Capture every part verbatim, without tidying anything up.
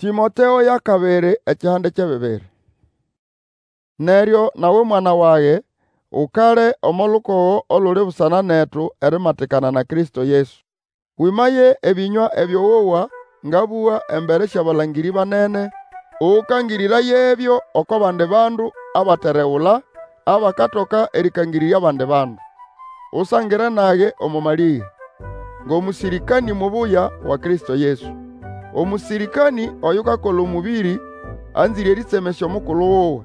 Tĩmoteo y'akabiri ekihande ky'ebibiri. Neryo nawe mwana wage, Ukale omo lukogo oluli busana netu erimatikana na Kristo Yesu. Wĩmaye ebĩnywa ebyo wowa ngabũga embere sy'abalangĩrĩ banene, ũkangĩrĩrayebyo oko bandi bandu abateregula, abakatoka erĩkangĩrĩrya abandi bandu. Usangire nage omo malĩge, ng'omũsĩrĩkanĩ mubuya wa Kristo Yesu. Omũsĩrĩkanĩ oyukakola omũbĩrĩ, anzĩre erĩtsemesya omukulu wuwe,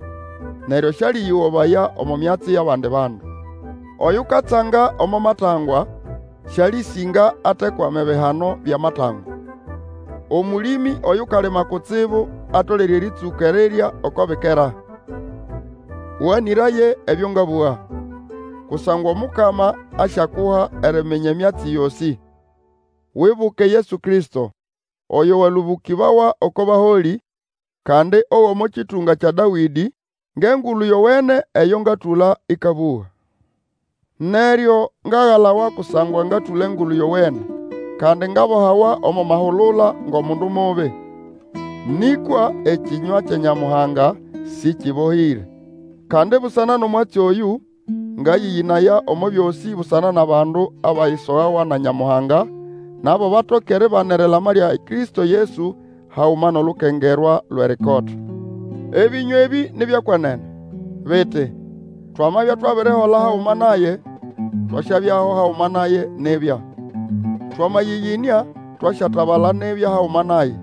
neryo sĩalĩyĩgobaya omo myatsi y'abandi bandu. Oyukatsanga omo matangwa, sĩalĩsĩnga atekwama ebihano by'amatangwa. Omũlĩmĩ oyukalima kutsibu atolere erĩtsũka erirya oko bikera. Ũganĩraye ebyo ngabũga, kusangwa Omukama asyakuha eriminya emyatsi yosĩ. Wibuke Yesu Kristo, oyo walũbũkĩbawa oko baholĩ, kandi og'omo kĩtũnga kya Dawĩdĩ, ng'Engulu Yowene eyo ngatũla ĩkabũga. Neryo ngagalawa kusangwa ngatũla Engulu Yowene, kandi ngabohawa omo mahulula ng'omundu mubi. Nĩkwa ekĩnywa kya Nyamuhanga sĩkĩbohĩre. Kandi busana n'omwatsi oyũ, ngayĩyĩnaya omo byosĩ busana n'abandu abayisogawa na Nyamuhanga, nabo batoke eribana erilama lya Kristo Yesu haguma n'olukengerwa lw'erikota. Ebĩnywa ebĩ ni by'ekwenene, biti, Twamabya twabirihola haguma naye, twasyabyaho haguma naye nibya. Twamayĩyĩnĩa, twasyatabala nibya haguma naye.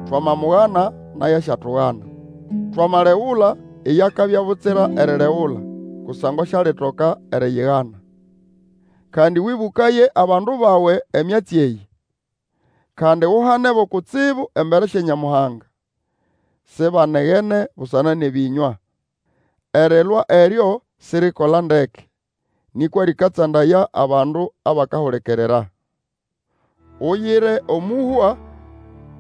Twamamugana, naye asyatugana. Twamalegula, iye akabya butsira erilegula, kusangwa sialitoka eriyigana. Kandi wĩbũkaye abandu bawe emyatsi eyĩ. Kandi uhanebo kutsibu embere sya Nyamuhanga, sibanegene busana n'ebĩnywa. Erilwa eryo sirikola ndeke, nĩkwa rĩkatsandaya abandu abakahulikirira. Uyire omũhwa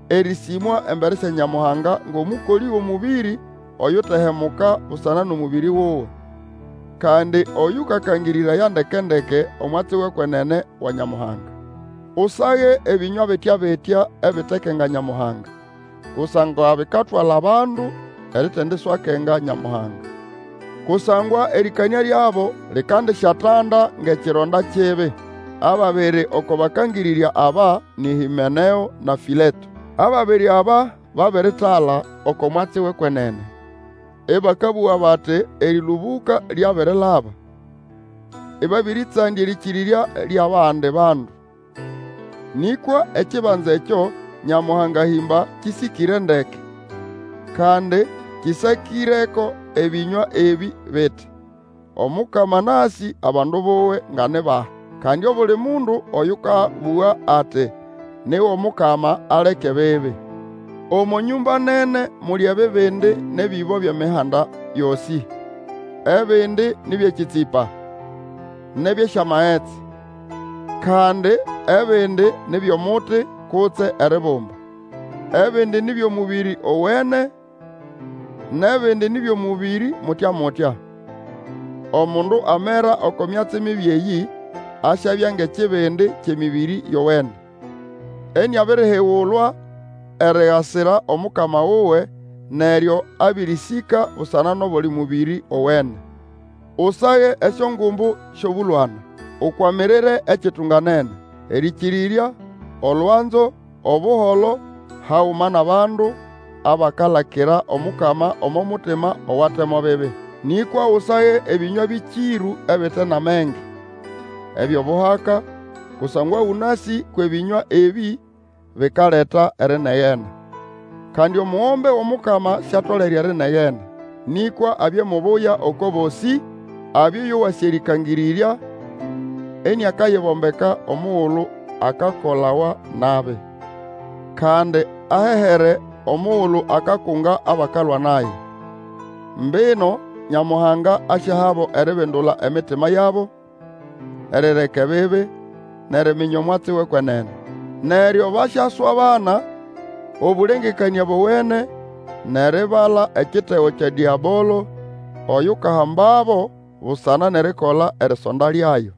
erĩsĩmwa embere sya Nyamuhanga ng'omũkolĩ w'omũbĩrĩ oyutehemuka busana n'omũbĩrĩ wuwe, kandi oyũkakangĩrĩraya ndeke-ndeke omwatsi w'ekwenene wa Nyamuhanga. Usage ebĩnywa bitya-bitya ebitekenga Nyamuhanga, kusangwa bikatwala abandu eritendiswakenga Nyamuhanga. Kusangwa erĩkanĩa lyabo likandisyatanda ng'ekironda kibi. Ababiri oko bakangĩrĩrya aba ni Hĩmeneo na Fĩleto. Ababiri aba babiritala oko mwatsi w'ekwenene, ĩbakabũga bati erĩlũbũka lyabirilaba, ĩbabĩrĩtsandya erĩkĩrĩrya ly'abandi bandu. Nĩkwa ekibanza ekyo Nyamuhanga ahĩmba kĩsĩkĩre ndeke, kandi kĩsakĩreko ebĩnywa ebĩ biti, Omukama anasĩ abandu buwe nga ni bahi. Kandi obuli mundu oyũkabũga ati ni w'Omukama, aleke ebibi. Omo nyũmba nene muli ebibindi n'ebĩbo by'emihanda yosĩ. Ebindi ni by'ekĩtsĩpa, n'eby'esyamagetsi, kandi ebindi ni by'omuti kutse eribumba. Ebindi ni by'omũbĩrĩ owene, n'ebindi ni by'omũbĩrĩ mutya-mutya. Omundu amera oko myatsi mibi eyĩ, asyabya ng'ekibindi ky'emĩbĩrĩ yowene, iniabirihigulwa erigasira Omukama wuwe, neryo abĩrĩsĩka busana n'obuli mũbĩrĩ owene. Usage esyongumbu sy'obũlwana, ukwamirire ekitunganene, erĩkĩrĩrya, olwanzo, obuholo, haguma n'abandu abakalakira Omukama omo mutima owate mo bibi. Nĩkwa Usage ebĩnywa bĩkĩrũ ebite n'amenge, eby'obuhaka, kusangwa ũnasĩ kw'ebĩnywa ebĩ bikaleta erinegena. Kandi omugombe w'Omukama siatolere erinegena, nĩkwa abye mubuya oko bosĩ, abye oyowasĩ erĩkangĩrĩrya, iniakayibombeka omugulu akakolawa nabi, kandi ahehere omugulu akakunga abakalwa naye. Mbino Nyamuhanga asyahabo eribindula emitima yabo, erireka ebibi, n'eriminya omwatsi w'ekwenene. Neryo basyaswabana obũlengekanĩa bowene, n'eribala ekitego kya Dĩabolo, oyukahambabo busana n'erikola erisonda lyayo.